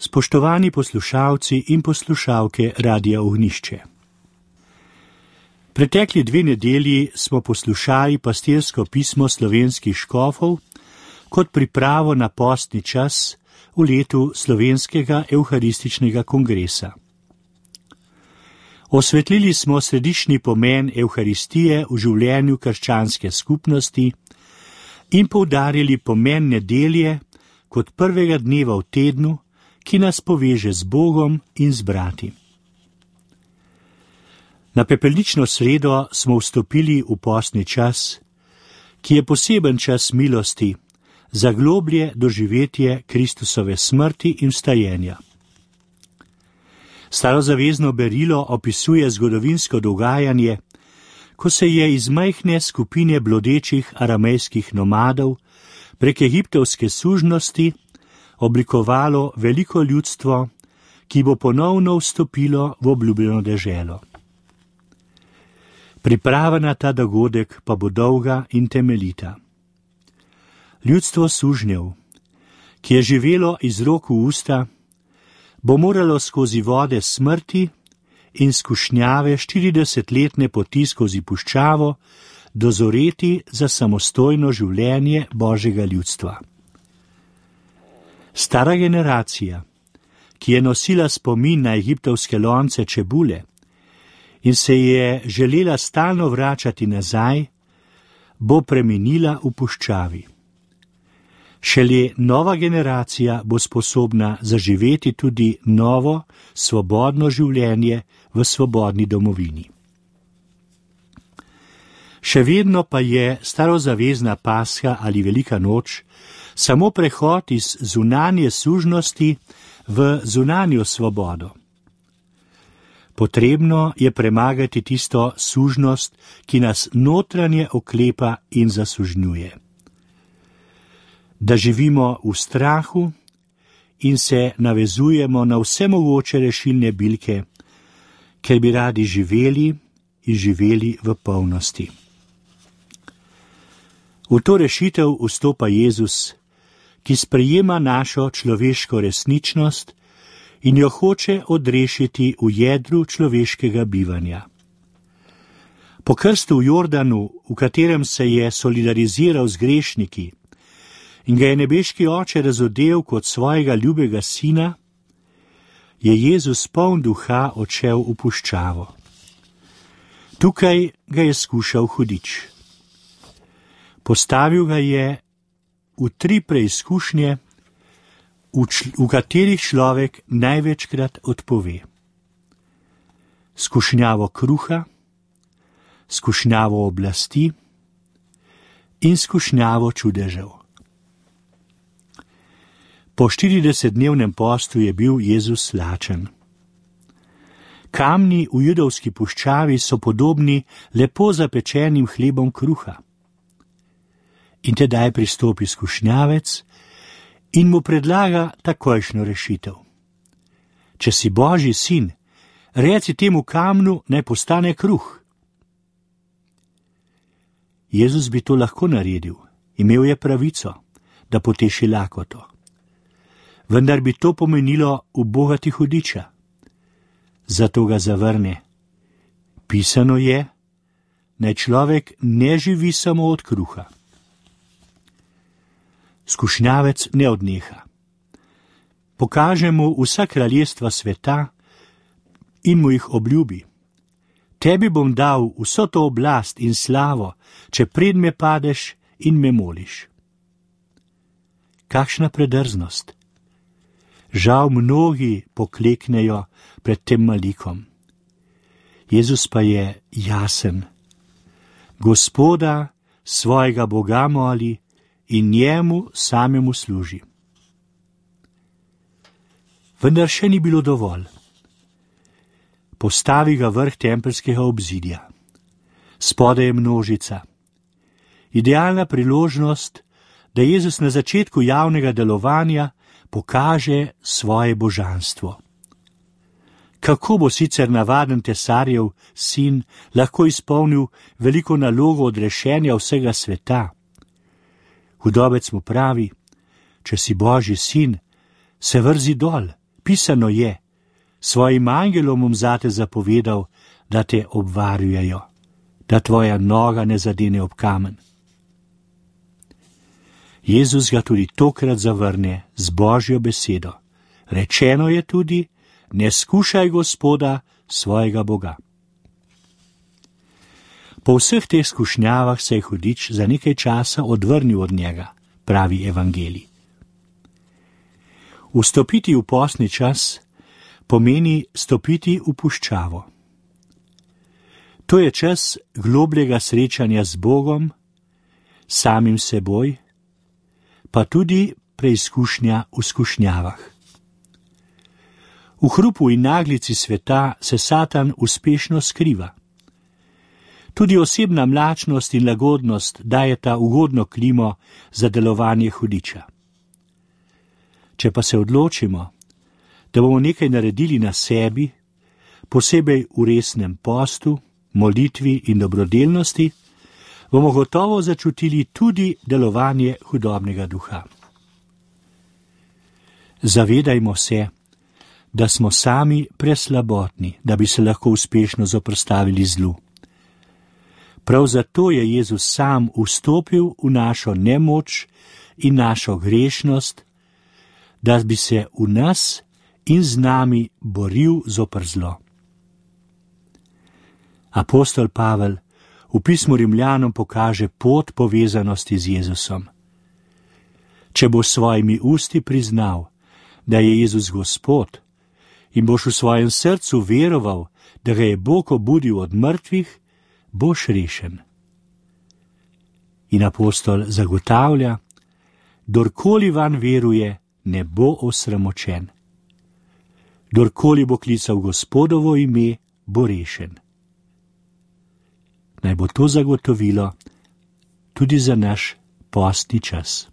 Spoštovani poslušalci in poslušalke Radia Ognjišče. Pretekli 2 nedelji smo poslušali pastirsko pismo slovenskih škofov kot pripravo na postni čas v letu Slovenskega evharističnega kongresa. Osvetlili smo središčni pomen evharistije v življenju krščanske skupnosti in poudarili pomen nedelje kot prvega dneva v tednu, ki nas poveže z Bogom in z brati. Na pepelnično sredo smo vstopili v postni čas, ki je poseben čas milosti za globlje doživetje Kristusove smrti in vstajenja. Starozavezno berilo opisuje zgodovinsko dogajanje, ko se je iz majhne skupine blodečih aramejskih nomadov prek egiptovske sužnosti oblikovalo veliko ljudstvo, ki bo ponovno vstopilo v obljubljeno deželo. Priprava na ta dogodek pa bo dolga in temeljita. Ljudstvo sužnjev, ki je živelo iz rok v usta, bo moralo skozi vode smrti in skušnjave 40-letne poti skozi puščavo dozoreti za samostojno življenje Božjega ljudstva. Stara generacija, ki je nosila spomin na egiptovske lonce čebule in se je želela stalno vračati nazaj, bo preminila v puščavi. Šele nova generacija bo sposobna zaživeti tudi novo, svobodno življenje v svobodni domovini. Še vedno pa je starozavezna Pasha ali Velika noč samo prehod iz zunanje sužnosti v zunanjo svobodo. Potrebno je premagati tisto sužnost, ki nas notranje oklepa in zasužnjuje. Da živimo v strahu in se navezujemo na vse mogoče rešilne bilke, ker bi radi živeli in živeli v polnosti. V to rešitev vstopa Jezus, ki sprejema našo človeško resničnost in jo hoče odrešiti v jedru človeškega bivanja. Po krstu v Jordanu, v katerem se je solidariziral z grešniki in ga je nebeški Oče razodel kot svojega ljubega sina, je Jezus poln duha odšel v puščavo. Tukaj ga je skušal hudič. Postavil ga je v 3 preizkušnje, v katerih človek največkrat odpove. Skušnjavo kruha, skušnjavo oblasti in skušnjavo čudežev. Po 40-dnevnem postu je bil Jezus lačen. Kamni v judovski puščavi so podobni lepo zapečenim hlebom kruha. In tedaj pristopi skušnjavec in mu predlaga takojšnjo rešitev. Če si Božji sin, reci temu kamnu, naj postane kruh. Jezus bi to lahko naredil, imel je pravico, da poteši lakoto. Vendar bi to pomenilo ubogati hudiča. Zato ga zavrne. Pisano je, naj človek ne živi samo od kruha. Skušnjavec ne odneha. Pokaže mu vsa kraljestva sveta in mu jih obljubi. Tebi bom dal vso to oblast in slavo, če pred me padeš in me moliš. Kakšna predrznost! Žal mnogi pokleknejo pred tem malikom. Jezus pa je jasen. Gospoda, svojega Boga moli in njemu samemu služi. Vendar še ni bilo dovolj. Postavi ga vrh tempeljskega obzidja. Spodaj je množica. Idealna priložnost, da Jezus na začetku javnega delovanja pokaže svoje božanstvo. Kako bo sicer navaden tesarjev sin lahko izpolnil veliko nalogo odrešenja vsega sveta? Hudobec mu pravi, če si Božji sin, se vrzi dol, Napisano je, svojim angelom bom zate zapovedal, da te obvarujejo, da tvoja noga ne zadene ob kamen. Jezus ga tudi tokrat zavrne z Božjo besedo. Rečeno je tudi, ne skušaj Gospoda, svojega Boga. Po vseh teh skušnjavah se je hudič za nekaj časa odvrnil od njega, pravi evangelij. Vstopiti v postni čas pomeni stopiti v puščavo. To je čas globljega srečanja z Bogom, samim seboj, pa tudi preizkušnja v skušnjavah. V hrupu in naglici sveta se Satan uspešno skriva. Tudi osebna mlačnost in lagodnost dajeta ugodno klimo za delovanje hudiča. Če pa se odločimo, da bomo nekaj naredili na sebi, posebej v resnem postu, molitvi in dobrodelnosti, bomo gotovo začutili tudi delovanje hudobnega duha. Zavedajmo se, da smo sami preslabotni, da bi se lahko uspešno zoperstavili zlu. Prav zato je Jezus sam vstopil v našo nemoč in našo grešnost, da bi se v nas in z nami boril zoper zlo. Apostol Pavel v pismu Rimljanom pokaže pot povezanosti z Jezusom. Če boš svojimi usti priznal, da je Jezus Gospod, in boš v svojem srcu veroval, da ga je Bog obudil od mrtvih, boš rešen. In apostol zagotavlja, kdorkoli vanj veruje, ne bo osramočen. Kdorkoli bo klical Gospodovo ime, bo rešen. Naj bo to zagotovilo tudi za naš postni čas.